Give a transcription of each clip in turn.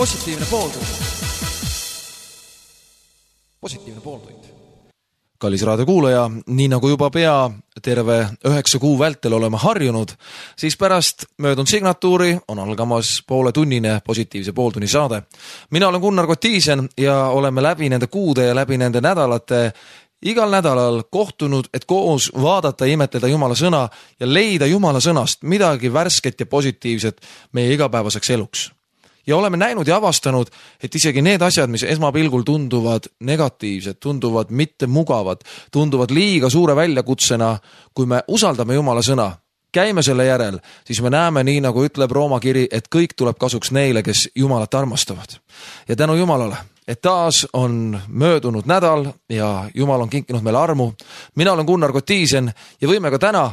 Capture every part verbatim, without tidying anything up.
Positiivne pooltund. Positiivne pooltund. Kallis raadiokuulaja, nii nagu juba pea terve üheksa kuu vältel oleme harjunud, siis pärast möödunud signatuuri on algamas poole tunnine positiivse pooltunni saade. Mina olen Gunnar Kotiisen ja oleme läbi nende kuude ja läbi nende nädalate igal nädalal kohtunud, et koos vaadata ja imetleda Jumala sõna ja leida Jumala sõnast midagi värsket ja positiivset meie igapäevaseks eluks. Ja oleme näinud ja avastanud, et isegi need asjad, mis esmapilgul tunduvad negatiivsed, tunduvad mitte mugavad, tunduvad liiga suure väljakutsena, kui me usaldame Jumala sõna, käime selle järel, siis me näeme nii, nagu ütleb Rooma kiri, et kõik tuleb kasuks neile, kes Jumalat armastavad. Ja tänu Jumalale, et taas on möödunud nädal ja Jumal on kinkinud meile armu. Mina olen Gunnar Kotiisen ja võime ka täna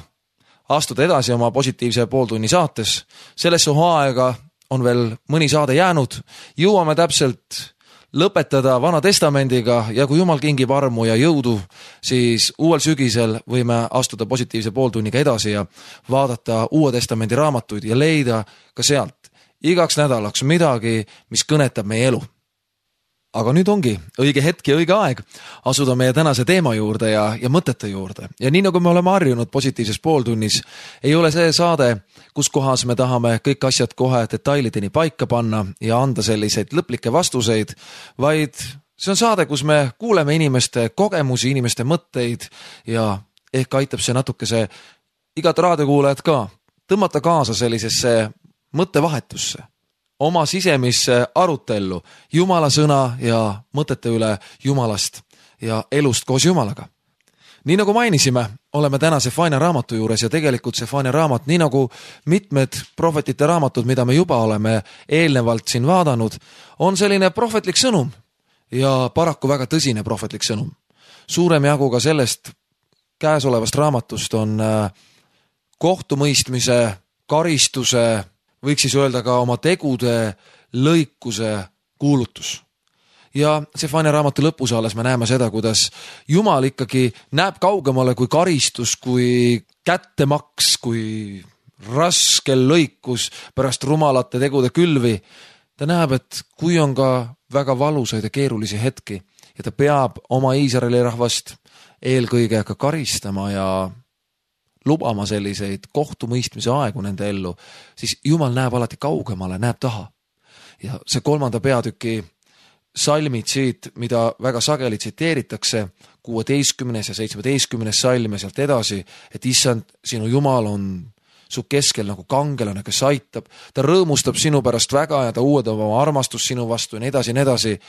astuda edasi oma positiivse pooltunni saates. Sellesse hooaega on veel mõni saade jäänud. Jõuame täpselt lõpetada Vana Testamendiga ja kui Jumal kingib armu ja jõudu, siis uuel sügisel võime astuda positiivse pooltunniga edasi ja vaadata Uue Testamendi raamatuid ja leida ka sealt igaks nädalaks midagi, mis kõnetab meie elu. Aga nüüd ongi õige hetk ja õige aeg asuda meie tänase teema juurde ja, ja mõtete juurde. Ja nii nagu me oleme harjunud positiivses pooltunnis, ei ole see saade, kus kohas me tahame kõik asjad kohe detailideni paika panna ja anda selliseid lõplikke vastuseid, vaid see on saade, kus me kuuleme inimeste kogemusi, inimeste mõtteid ja ehk aitab see natukese igat raadiokuulajat ka tõmmata kaasa sellisesse mõttevahetusse, oma sisemisse arutellu Jumala sõna ja mõtete üle Jumalast ja elust koos Jumalaga. Nii nagu mainisime, oleme täna Sefania raamatu juures ja tegelikult Sefania raamat, nii nagu mitmed prohvetite raamatud, mida me juba oleme eelnevalt siin vaadanud, on selline prohvetlik sõnum ja paraku väga tõsine prohvetlik sõnum. Suurem jagu ka sellest käesolevast raamatust on kohtumõistmise, karistuse, võiks siis öelda ka oma tegude lõikuse kuulutus. Ja Sefania raamatu lõpus alles me näeme seda, kuidas Jumal ikkagi näeb kaugemale kui karistus, kui kättemaks, kui raskel lõikus pärast rumalate tegude külvi. Ta näeb, et kui on ka väga valusaid ja keerulisi hetki ja ta peab oma Iisraeli rahvast eelkõige ka karistama ja lubama selliseid kohtumõistmise aegu nende ellu, siis Jumal näeb alati kaugemale, näeb taha. Ja see kolmanda peatüki salmid siit, mida väga sageli tsiteeritakse, kuueteistkümnes ja seitsmeteistkümnes salm ja sealt edasi, et issand, sinu Jumal on su keskel nagu kangelane, kes aitab, ta rõõmustab sinu pärast väga ja ta uuendab oma armastust sinu vastu ja nii edasi ja nii edasi.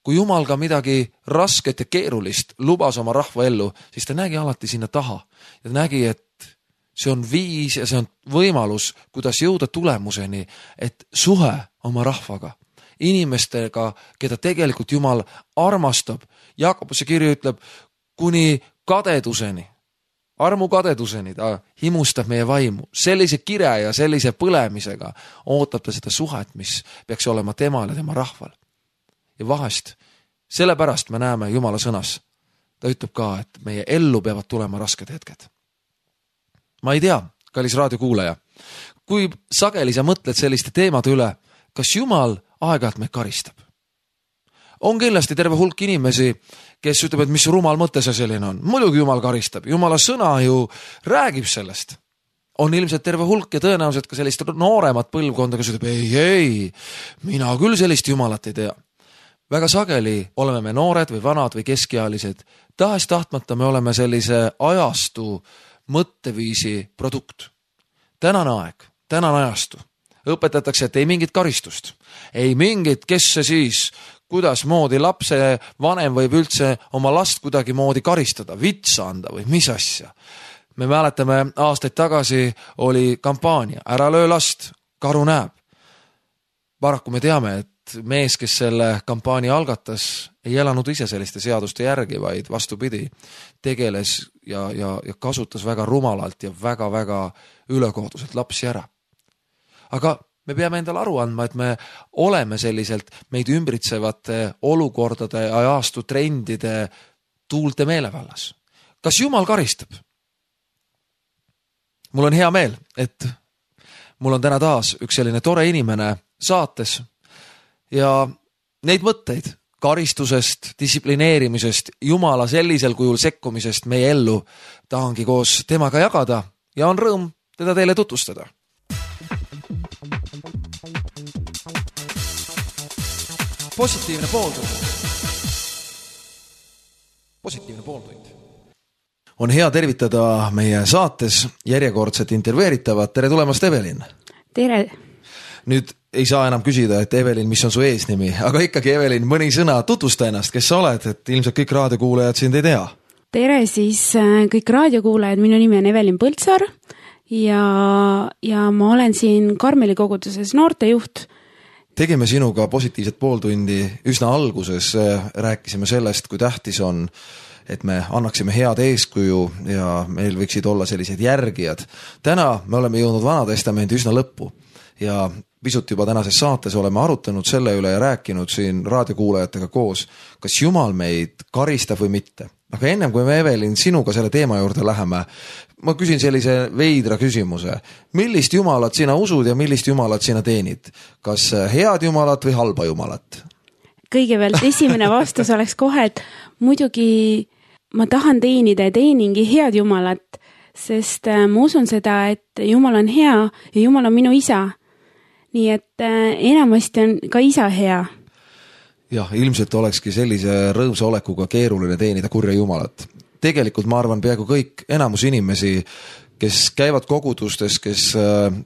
Kui Jumal ka midagi rasket ja keerulist lubas oma rahva ellu, siis ta nägi alati sinna taha. Ja ta nägi, et see on viis ja see on võimalus, kuidas jõuda tulemuseni, et suhe oma rahvaga, inimestega, keda tegelikult Jumal armastab. Jaakobuse kirju ütleb, kuni kadeduseni, armu kadeduseni, ta himustab meie vaimu. Sellise kire ja sellise põlemisega ootab ta seda suhet, mis peaks olema temal ja tema rahval. Ja vahest, sellepärast me näeme Jumala sõnas. Ta ütleb ka, et meie ellu peavad tulema rasked hetked. Ma ei tea, kallis raadiokuulaja, kui sageli sa mõtled selliste teemade üle, kas Jumal aeg-ajalt meid karistab? On kindlasti terve hulk inimesi, kes ütleb, et mis rumal mõte see selline on. Muidugi Jumal karistab. Jumala sõna ju räägib sellest. On ilmselt terve hulk ja tõenäoliselt ka sellist nooremat põlvkonda, kes ütleb, ei, ei, mina küll sellist Jumalat ei tea. Väga sageli oleme me noored või vanad või keskealised. Tahes tahtmata me oleme sellise ajastu mõtteviisi produkt. Tänane aeg, tänane ajastu. Õpetatakse, et ei mingit karistust. Ei mingit, kes see siis, kuidas moodi lapse vanem võib üldse oma last kuidagi moodi karistada, vitsa anda või mis asja. Me mäletame, aastaid tagasi oli kampaania, ära löö last, karu näeb. Paraku me teame, et mees, kes selle kampaania algatas, ei elanud ise selliste seaduste järgi, vaid vastupidi, tegeles ja, ja, ja kasutas väga rumalalt ja väga-väga ülekohtuselt lapsi ära. Aga me peame endale aru andma, et me oleme selliselt meid ümbritsevate olukordade ja ajastu trendide tuulte meelevallas. Kas Jumal karistab? Mul on hea meel, et mul on täna taas üks selline tore inimene saates. ja neid mõtteid karistusest, distsiplineerimisest, Jumala sellisel kujul sekkumisest meie ellu tahangi koos temaga jagada ja on rõõm teda teile tutvustada. Positiivne pooltund. Positiivne pooltund. On hea tervitada meie saates järjekordset intervjueeritavat. Tere tulemast, Evelin! Tere! Nüüd ei saa enam küsida, et Evelin, mis on su eesnimi, aga ikkagi Evelin, mõni sõna tutvusta ennast, kes sa oled, et ilmselt kõik raadiokuulajad sind ei tea. Tere siis kõik raadiokuulajad, minu nimi on Evelin Põldsaar ja, ja ma olen siin Karmeli koguduses noortejuht. Tegime sinuga positiivset pooltundi üsna alguses, rääkisime sellest, kui tähtis on, et me annaksime head eeskuju ja meil võiksid olla sellised järgijad. Täna me oleme jõudnud Vanatestamendi üsna lõppu ja pisut juba tänases saates oleme arutanud selle üle ja rääkinud siin raadiokuulajatega koos, kas Jumal meid karistab või mitte. Aga ennem kui me, Evelin, sinuga selle teema juurde läheme, ma küsin sellise veidra küsimuse. Millist Jumalat sina usud ja millist Jumalat sina teenid? Kas head Jumalat või halba Jumalat? Kõigepealt esimene vastus oleks kohe, et muidugi ma tahan teenida ja teeningi head Jumalat, sest ma usun seda, et Jumal on hea ja Jumal on minu isa. Nii et enamasti on ka isa hea. Jah, ilmselt olekski sellise rõõmsa olekuga keeruline teenida kurja Jumalat. Tegelikult ma arvan peaaegu kõik enamus inimesi, kes käivad kogudustes, kes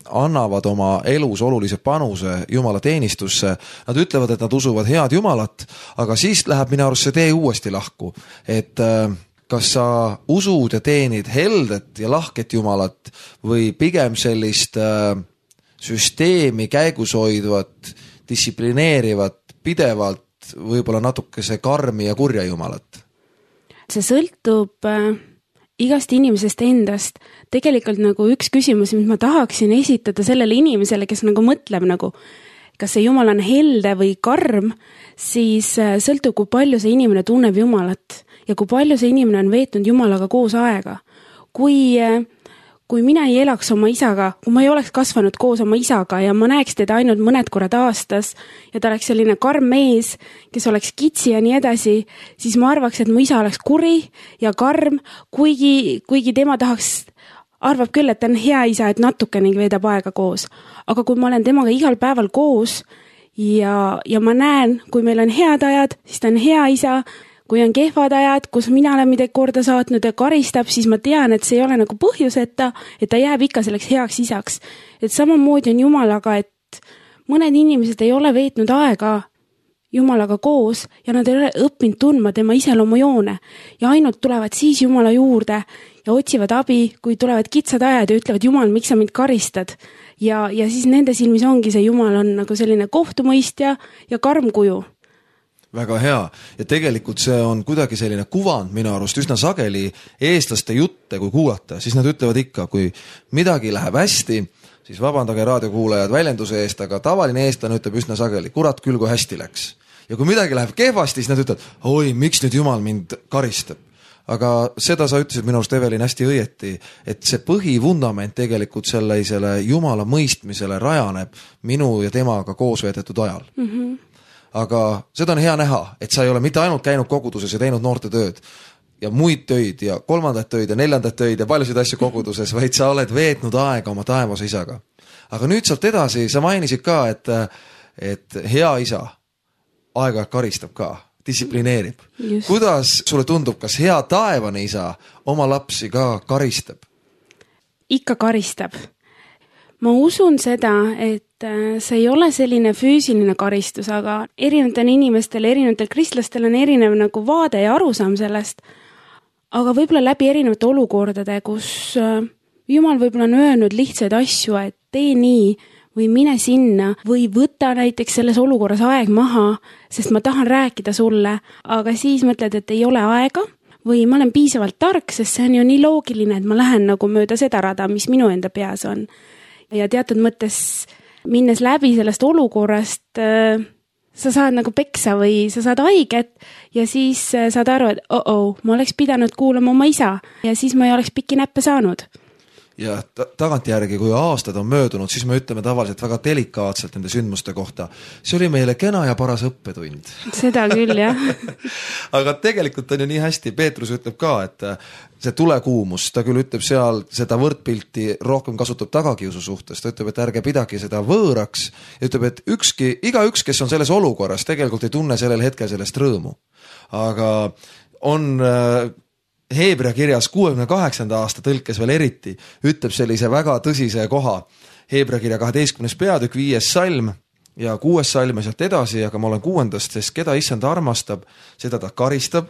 annavad oma elus olulise panuse Jumala teenistusse, nad ütlevad, et nad usuvad head Jumalat, aga siis läheb minu arust see tee uuesti lahku. Et kas sa usud ja teenid heldet ja lahket Jumalat või pigem sellist süsteemi käigus hoidvat, distsiplineerivat, pidevalt võib-olla natuke see karmi ja kurja Jumalat? See sõltub äh, igast inimesest endast. Tegelikult nagu üks küsimus, mis ma tahaksin esitada sellele inimesele, kes nagu mõtleb nagu, kas see Jumal on helde või karm, siis äh, sõltub, kui palju see inimene tunneb Jumalat ja kui palju see inimene on veetnud Jumalaga koos aega. Kui äh, Kui mina ei elaks oma isaga, kui ma ei oleks kasvanud koos oma isaga ja ma näeks teda ainult mõned korrad aastas ja ta oleks selline karm mees, kes oleks kitsi ja nii edasi, siis ma arvaks, et mu isa oleks kuri ja karm, kuigi, kuigi tema tahaks, arvab küll, et ta on hea isa, et natukenegi veedab aega koos. Aga kui ma olen temaga igal päeval koos ja, ja ma näen, kui meil on head ajad, siis ta on hea isa. Kui on kehvad ajad, kus mina olen midagi korda saatnud ja karistab, siis ma tean, et see ei ole nagu põhjuseta, et ta jääb ikka selleks heaks isaks. Et samamoodi on Jumalaga, et mõned inimesed ei ole veetnud aega Jumalaga koos ja nad ei ole õppinud tundma tema iseloomujoone ja ainult tulevad siis Jumala juurde ja otsivad abi, kui tulevad kitsad ajad ja ütlevad, Jumal, miks sa mind karistad? Ja, ja siis nende silmis ongi see Jumal on nagu selline kohtumõistja ja karm kuju. Väga hea. Ja tegelikult see on kuidagi selline kuvand minu arust üsna sageli eestlaste jutte, kui kuulata. Siis nad ütlevad ikka, kui midagi läheb hästi, siis vabandage raadiokuulajad väljenduse eest, aga tavaline eestlane ütleb üsna sageli, kurat küll, kui hästi läks. Ja kui midagi läheb kehvasti, siis nad ütlevad, oi, miks nüüd Jumal mind karistab? Aga seda sa ütlesid minu arust, Evelin, hästi õieti, et see põhivundament tegelikult sellisele Jumala mõistmisele rajaneb minu ja temaga koos veedetud ajal. Mhm. Aga seda on hea näha, et sa ei ole mitte ainult käinud koguduses ja teinud noorte tööd ja muid töid ja kolmandat töid ja neljandat töid ja paljusid asju koguduses, vaid sa oled veetnud aega oma taevas isaga. Aga nüüd sealt edasi, sa mainisid ka, et, et hea isa aega karistab ka, distsiplineerib. Just. Kuidas sulle tundub, kas hea taevane isa oma lapsi ka karistab? Ikka karistab. Ma usun seda, et see ei ole selline füüsiline karistus, aga erinevatel inimestel, erinevatel kristlastel on erinev nagu vaade ja arusaam sellest. Aga võib-olla läbi erinevate olukordade, kus Jumal võib-olla on öelnud lihtsaid asju, et tee nii või mine sinna või võta näiteks selles olukorras aeg maha, sest ma tahan rääkida sulle, aga siis mõtled, et ei ole aega või ma olen piisavalt tark, sest see on ju nii loogiline, et ma lähen nagu mööda seda rada, mis minu enda peas on. Ja teatud mõttes minnes läbi sellest olukorrast äh, sa saad nagu peksa või sa saad haiget ja siis äh, saad aru, et oh-oh, ma oleks pidanud kuulama oma isa ja siis ma ei oleks pikki näppe saanud. ja ta tagantjärgi, kui aastad on möödunud, siis me ütleme tavaliselt väga delikaatselt nende sündmuste kohta. See oli meile kena ja paras õppetund. Seda küll, jah. Aga tegelikult on ju nii hästi, Peetrus ütleb ka, et see tulekuumus, ta küll ütleb seal seda võrdpilti rohkem kasutab tagakiusu suhtes, ta ütleb, et ärge pidagi seda võõraks ja ütleb, et ükski, iga üks, kes on selles olukorras, tegelikult ei tunne sellel hetkel sellest rõõmu. Aga on Heebrea kirjas kuuekümne kaheksanda aasta tõlkes veel eriti, ütleb sellise väga tõsise koha. Heebrea kirja kaheteistkümnes peatükk, viies salm ja kuues salm ja sealt edasi, aga ma olen kuuendast, sest keda issand armastab, seda ta karistab,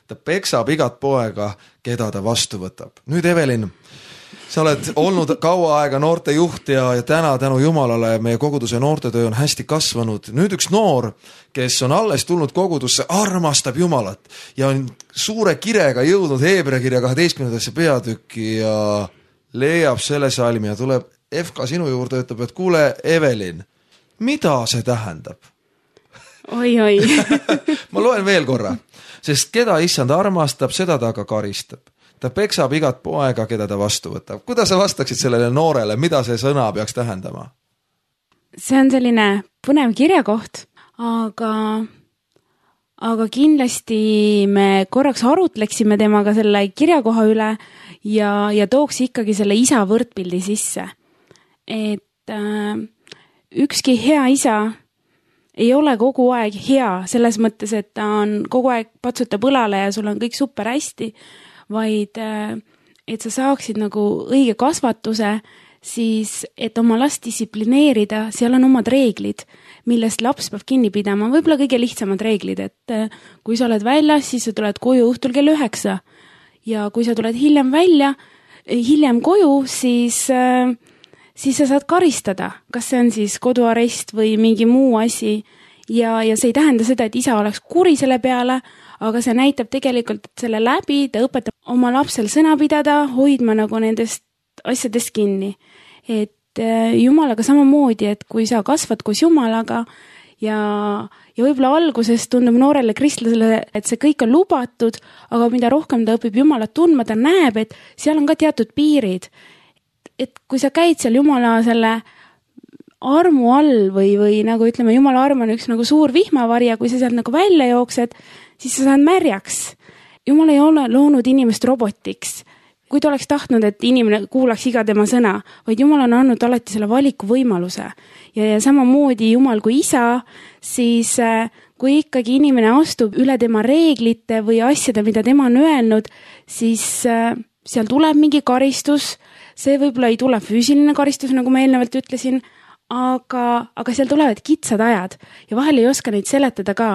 ta peksab igat poega, keda ta vastu võtab. Nüüd Evelin, sa oled olnud kaua aega noorte juht ja, ja täna tänu Jumalale meie koguduse noortetöö on hästi kasvanud. Nüüd üks noor, kes on alles tulnud kogudusse, armastab Jumalat ja on suure kirega jõudnud Heebrea kirja kaheteistkümnendasse peatükki ja leiab selle salmi ja tuleb F K sinu juurde, ütleb, et kuule, Evelin, mida see tähendab? Oi, oi. Ma loen veel korra, sest keda issand armastab, seda ta ka karistab. Ta peksab igat poega, keda ta vastu võtab. Kuidas sa vastaksid sellele noorele, mida see sõna peaks tähendama? See on selline põnev kirjakoht, aga, aga kindlasti me korraks arutleksime temaga selle kirjakoha üle ja, ja tooks ikkagi selle isa võrdpildi sisse. Et äh, ükski hea isa ei ole kogu aeg hea, selles mõttes, et ta on kogu aeg patsutab õlale ja sul on kõik super hästi, vaid et sa saaksid nagu õige kasvatuse, siis et oma last distsiplineerida, seal on omad reeglid, millest laps peab kinni pidama, võib-olla kõige lihtsamad reeglid, et kui sa oled väljas, siis sa tuled koju õhtul kell üheksa ja kui sa tuled hiljem välja, hiljem koju, siis, siis sa saad karistada, kas see on siis koduarest või mingi muu asi ja, ja see ei tähenda seda, et isa oleks kuri selle peale, aga see näitab tegelikult, et selle läbi ta õpetab oma lapsel sõna pidada, hoidma nagu nendest asjadest kinni. Et Jumalaga samamoodi, et kui sa kasvad koos Jumalaga ja, ja võib-olla alguses tundub noorele kristlasele, et see kõik on lubatud, aga mida rohkem ta õpib Jumalat tundma, ta näeb, et seal on ka teatud piirid. Et kui sa käid seal Jumala selle armu all või, või nagu ütleme, Jumala arm on üks nagu suur vihmavari ja kui sa sealt nagu välja jooksed, siis sa saad märjaks. Jumal ei ole loonud inimest robotiks. Kui ta oleks tahtnud, et inimene kuulaks iga tema sõna, vaid Jumal on andnud alati selle valiku võimaluse. Ja, ja samamoodi Jumal kui isa, siis kui ikkagi inimene astub üle tema reeglite või asjade, mida tema on öelnud, siis seal tuleb mingi karistus. See võib-olla ei tule füüsiline karistus, nagu ma eelnevalt ütlesin, aga, aga seal tulevad kitsad ajad ja vahel ei oska neid seletada ka.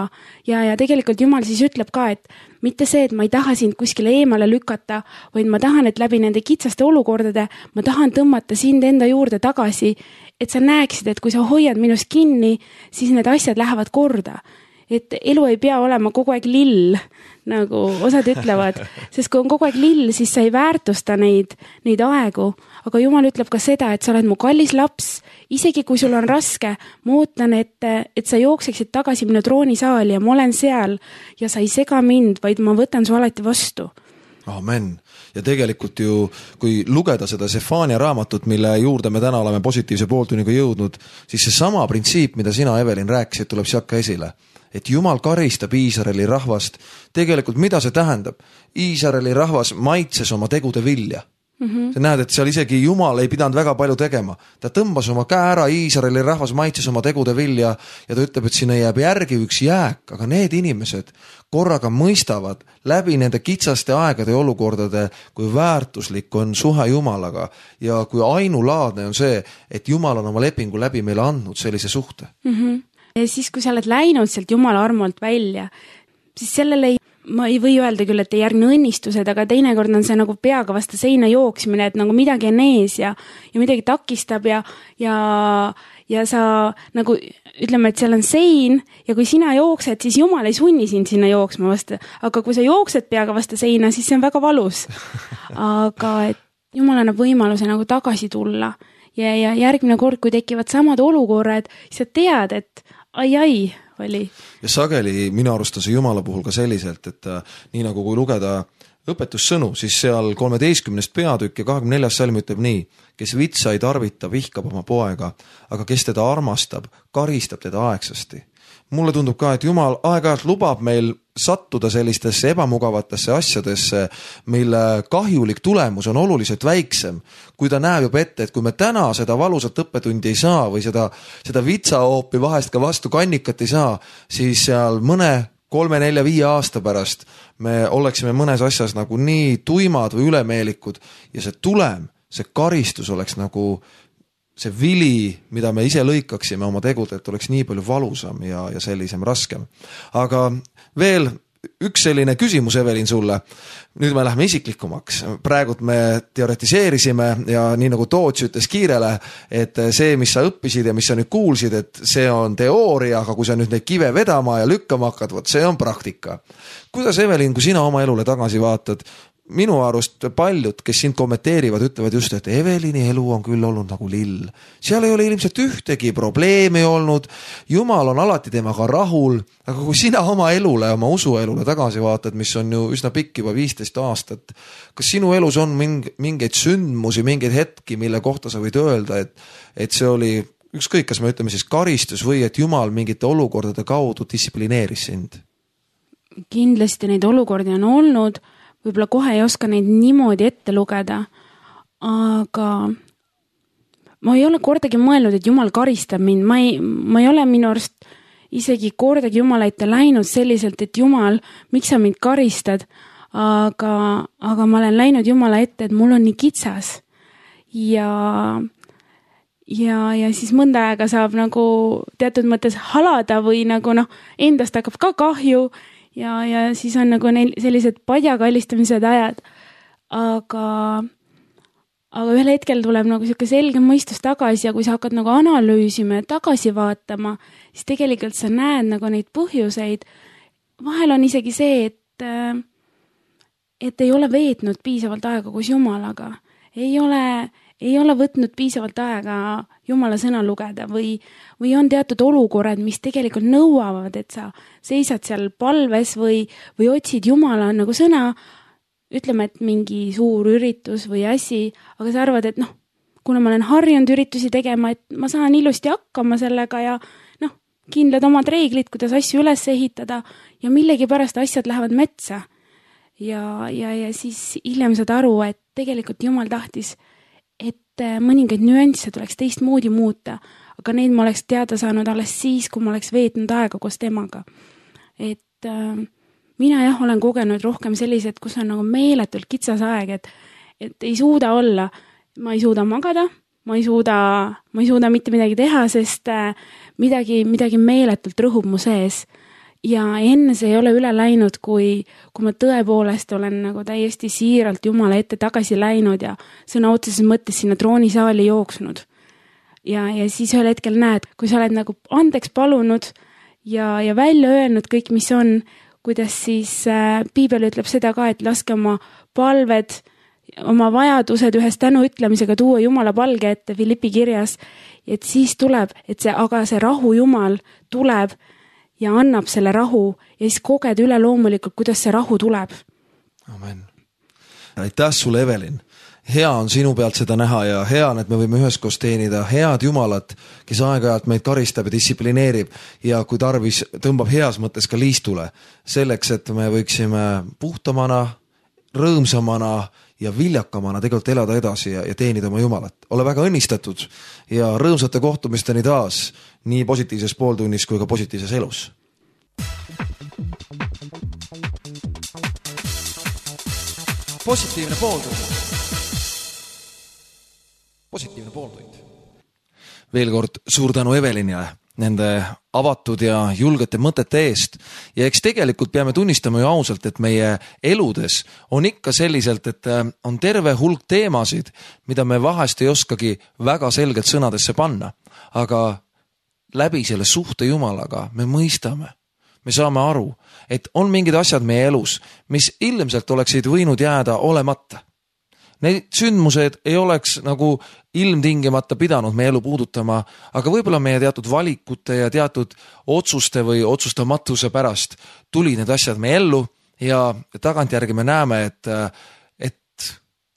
Ja, ja tegelikult Jumal siis ütleb ka, et mitte see, et ma ei taha sind kuskile eemale lükata, vaid ma tahan, et läbi nende kitsaste olukordade ma tahan tõmmata sind enda juurde tagasi, et sa näeksid, et kui sa hoiad minust kinni, siis need asjad lähevad korda. Et elu ei pea olema kogu aeg lill, nagu osad ütlevad, sest kui on kogu aeg lill, siis sa ei väärtusta neid, neid aegu. Aga Jumal ütleb ka seda, et sa oled mu kallis laps, isegi kui sul on raske, ma ootan, et, et sa jookseksid tagasi minu troonisaali ja ma olen seal ja sa ei sega mind, vaid ma võtan su alati vastu. Amen. Ja tegelikult ju, kui lugeda seda Sefania raamatut, mille juurde me täna oleme positiivse pooltunniga jõudnud, siis see sama printsiip, mida sina, Evelin, rääkisid, tuleb sealt ka esile. Et Jumal karistab Iisraeli rahvast. Tegelikult mida see tähendab? Iisraeli rahvas maitses oma tegude vilja. Mm-hmm. Sa näed, et seal isegi Jumal ei pidanud väga palju tegema. Ta tõmbas oma käe ära, Iisraeli rahvas maitses oma tegude vilja ja ta ütleb, et sinna jääb järgi üks jääk, aga need inimesed korraga mõistavad läbi nende kitsaste aegade ja olukordade, kui väärtuslik on suhe Jumalaga ja kui ainulaadne on see, et Jumal on oma lepingu läbi meile andnud sellise suhte. Mm-hmm. Ja siis, kui sa oled läinud sealt Jumala armolt välja, siis sellele ei, ma ei või öelda küll, et ei järgne õnnistused, aga teinekord on see nagu peaga vastu seina jooksmine, et nagu midagi on ees ja, ja midagi takistab ja, ja, ja sa nagu ütleme, et seal on sein ja kui sina jooksed, siis Jumal ei sunni sind sinna jooksma vastu, aga kui sa jooksed peaga vastu seina, siis see on väga valus. Aga et Jumal annab võimaluse nagu tagasi tulla ja, ja järgmine kord, kui tekivad samad olukorrad, siis sa tead, et ai-ai oli. Ja sageli minu arust on see Jumala puhul ka selliselt, et nii nagu kui lugeda õpetussõnu, siis seal kolmeteistkümnest peatükk ja kahekümne neljas salm ütleb nii: kes vitsa ei tarvita, vihkab oma poega, aga kes teda armastab, karistab teda aegsasti. Mulle tundub ka, et Jumal aeg-ajalt lubab meil sattuda sellistesse ebamugavatesse asjadesse, mille kahjulik tulemus on oluliselt väiksem, kui ta näeb juba ette, et kui me täna seda valusat õppetundi ei saa või seda, seda vitsahoopi vahest ka vastu kannikat ei saa, siis seal mõne kolme, nelja, viie aasta pärast me oleksime mõnes asjas nagu nii tuimad või ülemeelikud ja see tulem, see karistus oleks nagu see vili, mida me ise lõikaksime oma tegudelt, oleks nii palju valusam ja, ja sellisem raskem. Aga veel üks selline küsimus, Evelin, sulle. Nüüd me lähme isiklikumaks. Praegult me teoretiseerisime ja nii nagu Toots ütles Kiirele, et see, mis sa õppisid ja mis sa nüüd kuulsid, et see on teooria, aga kui sa nüüd neid kive vedama ja lükkama hakkad, võt see on praktika. Kuidas, Evelin, kui sina oma elule tagasi vaatad, minu arust paljud, kes sind kommenteerivad, ütlevad just, et Evelini elu on küll olnud nagu lill. Seal ei ole ilmselt ühtegi probleemi olnud, Jumal on alati temaga rahul, aga kui sina oma elule, oma usuelule tagasi vaatad, mis on ju üsna pikk juba viisteist aastat, kas sinu elus on mingeid sündmusi, mingeid hetki, mille kohta sa võid öelda, et, et see oli ükskõik, kas me ütleme siis karistus või et Jumal mingite olukordade kaudu distsiplineeris sind? Kindlasti neid olukordi on olnud, võib-olla kohe ei oska neid niimoodi ette lugeda, aga ma ei ole kordagi mõelnud, et Jumal karistab mind. Ma ei, ma ei ole minu arust isegi kordagi Jumala ette läinud selliselt, et Jumal, miks sa mind karistad, aga, aga ma olen läinud Jumala ette, et mul on nii kitsas. Ja, ja, ja siis mõnda aega saab nagu teatud mõttes halada või nagu noh, endast hakkab ka kahju. Ja, ja siis on nagu neil sellised padjakallistamised ajad. Aga, aga ühel hetkel tuleb nagu selline selge mõistus tagasi ja kui sa hakkad nagu analüüsima ja tagasi vaatama, siis tegelikult sa näed nagu neid põhjuseid. Vahel on isegi see, et, et ei ole veetnud piisavalt aega koos Jumalaga. Ei ole, ei ole võtnud piisavalt aega Jumala sõna lugeda või, või on teatud olukorrad, mis tegelikult nõuavad, et sa seisad seal palves või, või otsid Jumala nagu sõna, ütleme, et mingi suur üritus või asi, aga sa arvad, et noh, kuna ma olen harjunud üritusi tegema, et ma saan ilusti hakkama sellega ja noh, kindlad omad reeglid, kuidas asju üles ehitada ja millegi pärast asjad lähevad metsa. Ja, ja, ja siis hiljem saad aru, et tegelikult Jumal tahtis, et mõningaid nüansse tuleks teistmoodi muuta, aga neid ma oleks teada saanud alles siis, kui ma oleks veetnud aega koos temaga. Et äh, mina jah, olen kogenud rohkem sellised, kus on nagu meeletult kitsas aeg, et, et ei suuda olla, ma ei suuda magada, ma ei suuda, ma ei suuda mitte midagi teha, sest äh, midagi, midagi meeletult rõhub mu sees. Ja enne see ei ole üle läinud, kui, kui ma tõepoolest olen nagu täiesti siiralt Jumala ette tagasi läinud ja sõna otseses mõttes sinna troonisaali jooksnud. Ja, ja siis ühel hetkel näed, kui sa oled nagu andeks palunud ja, ja välja öelnud kõik, mis on, kuidas siis äh, Piibel ütleb seda ka, et laske oma palved, oma vajadused ühes tänu ütlemisega tuua Jumala palge ette Filippi kirjas, et siis tuleb, et see, aga see rahu Jumal tuleb ja annab selle rahu ja siis koged üle loomulikult, kuidas see rahu tuleb. Amen. Aitäh sulle, Evelin. Hea on sinu pealt seda näha ja hea on, et me võime üheskoos teenida head Jumalat, kes aeg-ajalt meid karistab ja distsiplineerib ja kui tarvis tõmbab heas mõttes ka liistule selleks, et me võiksime puhtamana, rõõmsamana ja viljakamana tegelikult elada edasi ja, ja teenida oma Jumalat. Ole väga õnnistatud ja rõõmsate kohtumisteni taas nii positiivses pooltunnis kui ka positiivses elus. Positiivne pooltund. Positiivne pooltund. Veel kord suur tänu Evelinile nende avatud ja julgete mõtete eest. Ja eks tegelikult peame tunnistama ju ausalt, et meie eludes on ikka selliselt, et on terve hulk teemasid, mida me vahest ei oskagi väga selgelt sõnadesse panna. Aga läbi selle suhte Jumalaga me mõistame, me saame aru, et on mingid asjad meie elus, mis ilmselt oleksid võinud jääda olemata. Need sündmused ei oleks nagu ilmtingimata pidanud meie elu puudutama, aga võib-olla meie teatud valikute ja teatud otsuste või otsustamatuse pärast tuli need asjad meie ellu ja tagantjärgi me näeme, et, et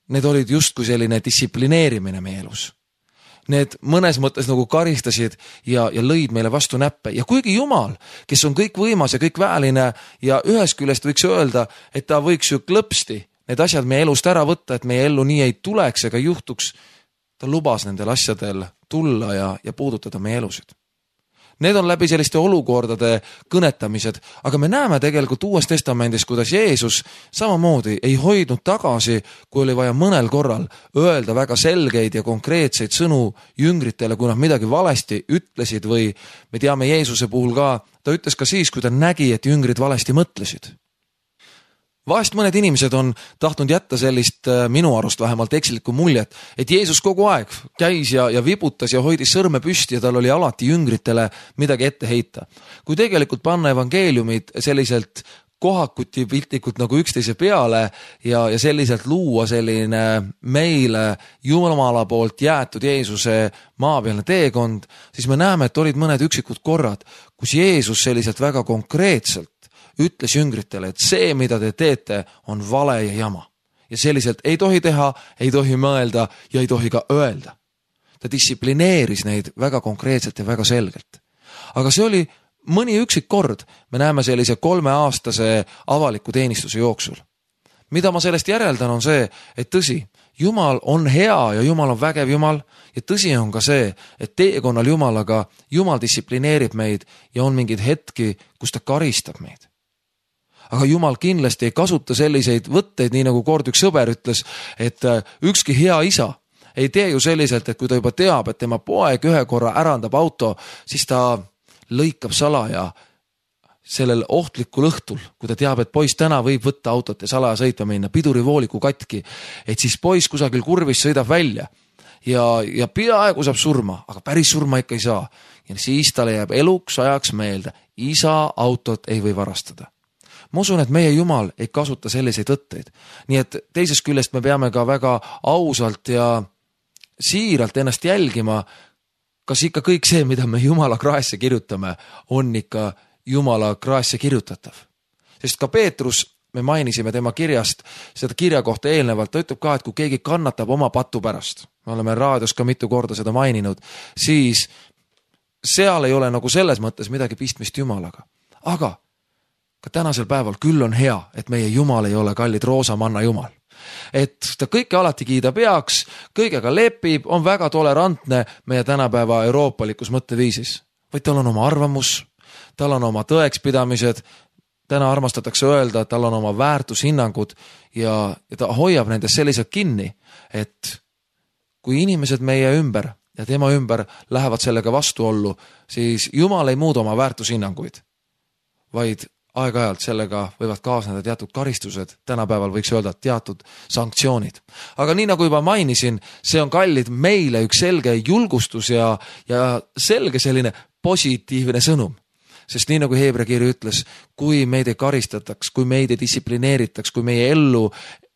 need olid justkui selline distsiplineerimine meie elus. Need mõnes mõttes nagu karistasid ja, ja lõid meile vastu näppe. Ja kuigi Jumal, kes on kõik võimas ja kõik väeline ja ühest küljest võiks öelda, et ta võiks ju klõpsti need asjad meie elust ära võtta, et meie ellu nii ei tuleks ega juhtuks, ta lubas nendel asjadel tulla ja, ja puudutada meie elusid. Need on läbi selliste olukordade kõnetamised, aga me näeme tegelikult Uues Testamendis, kuidas Jeesus samamoodi ei hoidnud tagasi, kui oli vaja mõnel korral öelda väga selgeid ja konkreetseid sõnu jüngritele, kui nad midagi valesti ütlesid või me teame Jeesuse puhul ka, ta ütles ka siis, kui ta nägi, et jüngrid valesti mõtlesid. Vahest mõned inimesed on tahtnud jätta sellist minu arust vähemalt ekslikku muljet, et Jeesus kogu aeg käis ja, ja vibutas ja hoidis sõrme püsti ja tal oli alati jüngritele midagi ette heita. Kui tegelikult panna evangeeliumid selliselt kohakuti piltlikult nagu üksteise peale ja, ja selliselt luua selline meile Jumala poolt jäetud Jeesuse maapealne teekond, siis me näeme, et olid mõned üksikud korrad, kus Jeesus selliselt väga konkreetselt ütles jüngritele, et see, mida te teete, on vale ja jama. Ja selliselt ei tohi teha, ei tohi mõelda ja ei tohi ka öelda. Ta distsiplineeris neid väga konkreetselt ja väga selgelt. Aga see oli mõni üksik kord, me näeme sellise kolmeaastase avaliku teenistuse jooksul. Mida ma sellest järeldan on see, et tõsi, Jumal on hea ja Jumal on vägev Jumal ja tõsi on ka see, et teekonnal Jumalaga Jumal distsiplineerib meid ja on mingid hetki, kus ta karistab meid. Aga Jumal kindlasti ei kasuta selliseid võtteid, nii nagu kord üks sõber ütles, et ükski hea isa ei tee ju selliselt, et kui ta juba teab, et tema poeg ühe korra ärandab auto, siis ta lõikab salaja sellel ohtlikul õhtul, kui ta teab, et poiss täna võib võtta autot ja salaja sõitma minna, pidurivooliku katki, et siis poiss kusagil kurvis sõidab välja ja, ja peaaegu saab surma, aga päris surma ikka ei saa. Ja siis talle jääb eluks ajaks meelde, isa autot ei või varastada. Ma usun, et meie Jumal ei kasuta selliseid võtteid. Nii et teisest küljest me peame ka väga ausalt ja siiralt ennast jälgima, kas ikka kõik see, mida me Jumala kraesse kirjutame, on ikka Jumala kraasse kirjutatav. Sest ka Peetrus, me mainisime tema kirjast, seda kirja kohta eelnevalt, ta ütleb ka, et kui keegi kannatab oma patu pärast, me oleme raadios ka mitu korda seda maininud, siis seal ei ole nagu selles mõttes midagi pistmist Jumalaga. Aga ka tänasel päeval küll on hea, et meie Jumal ei ole kallid roosamanna Jumal. Et ta kõike alati kiida peaks, kõigega lepib, on väga tolerantne meie tänapäeva euroopalikus mõtteviisis. Vaid tal on oma arvamus, tal on oma tõekspidamised, täna armastatakse öelda, et tal on oma väärtushinnangud ja, ja ta hoiab nendest selliselt kinni, et kui inimesed meie ümber ja tema ümber lähevad sellega vastuollu, siis Jumal ei muuda oma väärtushinnanguid, vaid aeg-ajalt sellega võivad kaasneda teatud karistused, tänapäeval võiks öelda teatud sanktsioonid. Aga nii nagu juba mainisin, see on kallid meile üks selge julgustus ja, ja selge selline positiivne sõnum. Sest nii nagu Heebrea kiri ütles, kui meid ei karistataks, kui meid ei distsiplineeritaks, kui meie ellu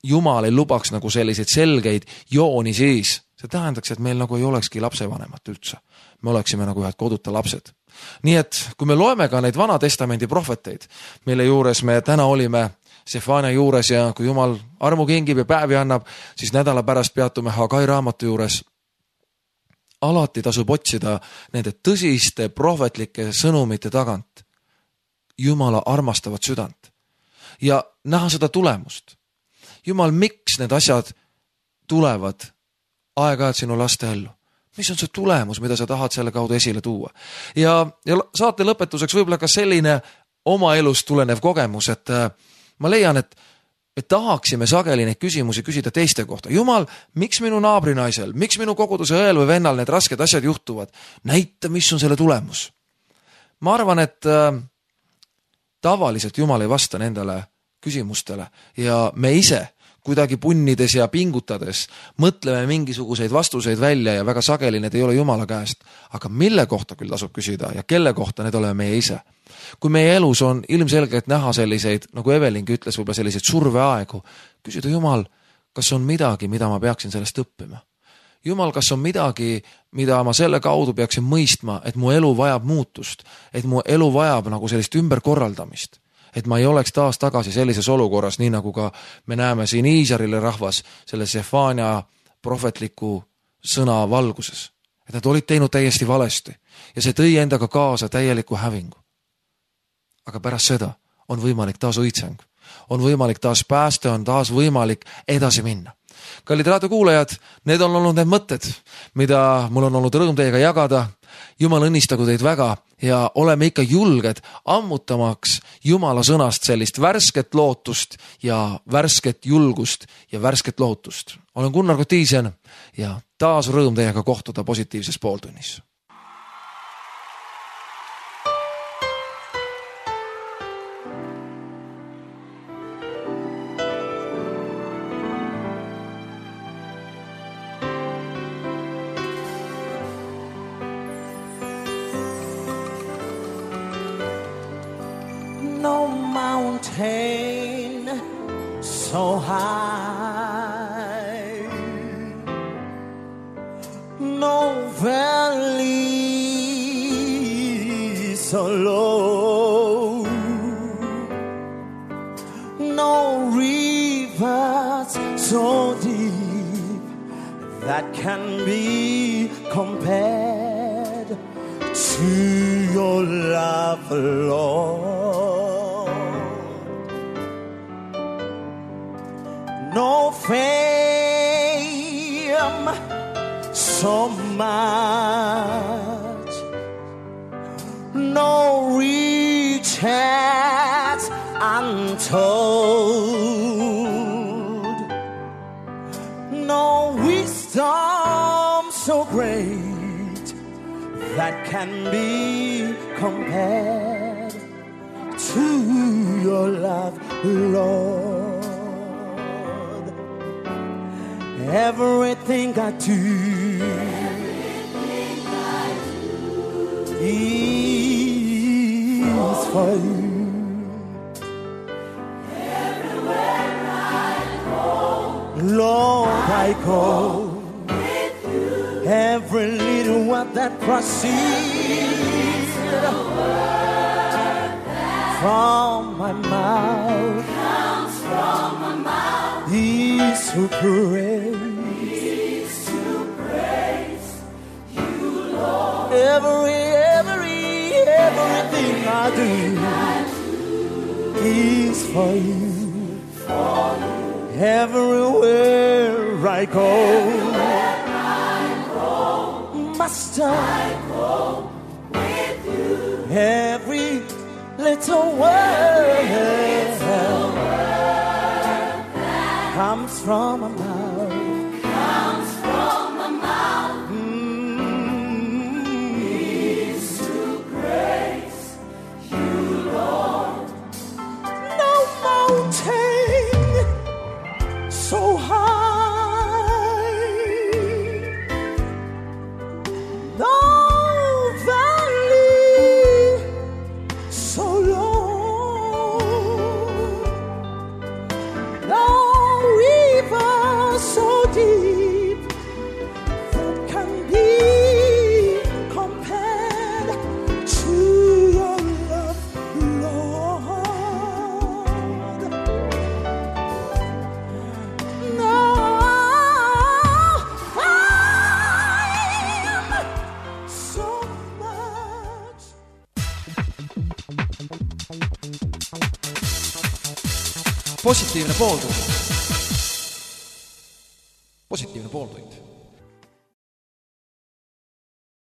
Jumal ei lubaks nagu selliseid selgeid jooni, siis see tähendaks, et meil nagu ei olekski lapsevanemat üldse. Me oleksime nagu ühed koduta lapsed. Nii et kui me loeme ka neid Vana Testamendi prohveteid, mille juures me täna olime Sefania juures ja kui Jumal armu kingib ja päevi annab, siis nädala pärast peatume Hagai raamatu juures. Alati tasub otsida nende tõsiste prohvetlike sõnumite tagant Jumala armastavat südant ja näha seda tulemust. Jumal, miks need asjad tulevad aeg-ajalt sinu laste ellu? Mis on see tulemus, mida sa tahad selle kaudu esile tuua? Ja, ja saate lõpetuseks võib-olla ka selline oma elust tulenev kogemus, et ma leian, et me tahaksime sageli neid küsimusi küsida teiste kohta. Jumal, miks minu naabrinaisel, miks minu koguduse õel või vennal need rasked asjad juhtuvad? Näita, mis on selle tulemus. Ma arvan, et äh, tavaliselt Jumal ei vasta nendele küsimustele ja me ise kuidagi punnides ja pingutades mõtleme mingisuguseid vastuseid välja ja väga sageli need ei ole Jumala käest. Aga mille kohta küll tasub küsida ja kelle kohta need oleme meie ise? Kui meie elus on ilmselgelt näha selliseid, nagu Evelingi ütles, võib-olla selliseid surveaegu, küsida Jumal, kas on midagi, mida ma peaksin sellest õppima? Jumal, kas on midagi, mida ma selle kaudu peaksin mõistma, et mu elu vajab muutust, et mu elu vajab nagu sellist ümberkorraldamist, et ma ei oleks taas tagasi sellises olukorras, nii nagu ka me näeme siin Iisraeli rahvas selle Sefania prohvetliku sõna valguses. Et nad olid teinud täiesti valesti ja see tõi endaga kaasa täieliku hävingu. Aga pärast seda on võimalik taas õitseng, on võimalik taas pääste, on taas võimalik edasi minna. Kallid raadiokuulajad, need on olnud need mõtted, mida mul on olnud rõõm teiega jagada. Jumal õnnistagu teid väga ja oleme ikka julged ammutamaks Jumala sõnast sellist värsket lootust ja värsket julgust ja värsket lohutust. Olen Gunnar Kotiisen ja taas rõõm teiega kohtuda positiivses pooltunnis. So high, no valley so low, no rivers so deep that can be compared to your love, Lord. No fame so much, no riches untold, no wisdom so great that can be compared to your love, Lord. Everything I do, Everything I do is for you. Everywhere I go, Lord, I go with you. Every little word that proceeds from my mouth comes from my mouth is to praise. Every, every, everything I do is for you. Everywhere I go, Master, every little word comes from my mouth. So high, no valley so low, no river so deep that can be compared to your love, Lord. Positiivne pooltund. Positiivne pooltund.